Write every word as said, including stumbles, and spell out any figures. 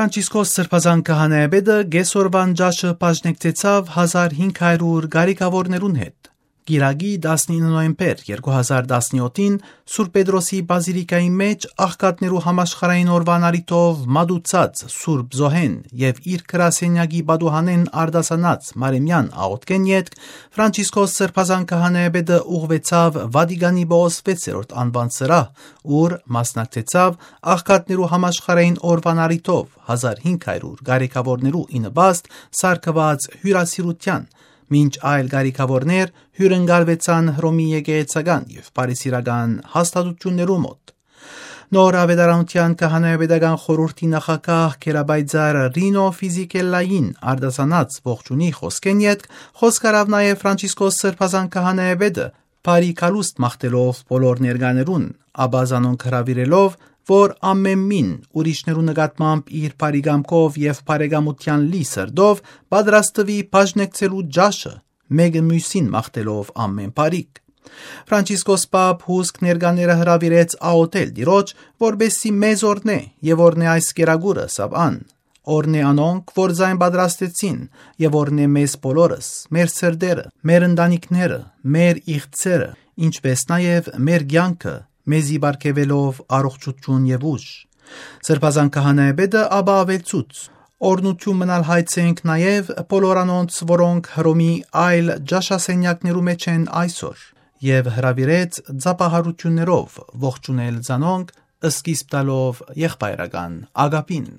Ֆրանցիսկոս Սրբազան քահանայապետը կեսօրուան ճաշը բաժնեկցեցաւ հազար հինգ հարիւր կարիքաւորներուն հետ։ Կիրակի, տասնինը նոյեմբեր երկու հազար տասնեօթին, Սուրբ Պետրոսի բազիլիկայի մէջ աղքատներու համաշխարհային օրուան առիթով մատուցած Սուրբ Զոհեն եւ իր գրասենյակի պատուհանէն արտասանած Մարեմեան աղօթքէն ետք, Ֆրանցիսկոս Սրբազան քահանայապետը ուղղուեցաւ Վատիկանի Պողոս վեցերորդ անուան սրահ, ուր մասնակցեցաւ աղքատներու համաշխարհային օրուան առիթով հազար հինգ հարիւր կարիքաւորներու ի նպաստ սարքուած հիւրասիրութեան, մինչ այլ կարիքաւորներ հիւրընկալուեցան Հռոմի եկեղեցական եւ բարեսիրական հաստատութիւններու մօտ։ Նոր աւետարանութեան քահանայապետական խորհուրդի նախագահ Գերապայծառ Ռինո Ֆիզիկելլային արտասանած ողջունի խօսքէն ետք խօսք առաւ նաեւ Ֆրանցիսկոս Սրբազան քահանայապետը, բարի գալուստ մաղթելով բոլոր ներկաներուն, ապա զանոնք հրաւիրելով, որ ամէն մին ուրիշներու նկատմամբ իր բարի կամքով եւ բարեկամութեան լի սրտով պատրաստուի բաժնեկցելու ճաշը, մէկը միւսին մաղթելով ամէն բարիք։ Ֆրանցիսկոս Պապ հուսկ ներկաները հրաւիրեց աղօթել Տիրոջ, որպեսզի մեզ օրհնէ եւ օրհնէ այս կերակուրը, սապ ան։ Օրհնէ անոնք, որ զայն պատրաստեցին, եւ օրհնէ մեզ բոլորս, մեր սրտերը, մեր ընտանիքները, մեր իղձերը, ինչպէս նաեւ մեր կեանքը, մեզի պարգեւելով առողջութիւն եւ ուժ։ Սրբազան քահանայապետը ապա աւելցուց. «Օրհնութիւն մնալ հայցենք նաեւ բոլոր անոնց, որոնք Հռոմի այլ ճաշասենյակներու մէջ են այսօր», եւ հրաւիրեց ծափահարութիւններով ողջունել զանոնք, սկիզբ տալով եղբայրական ակապին։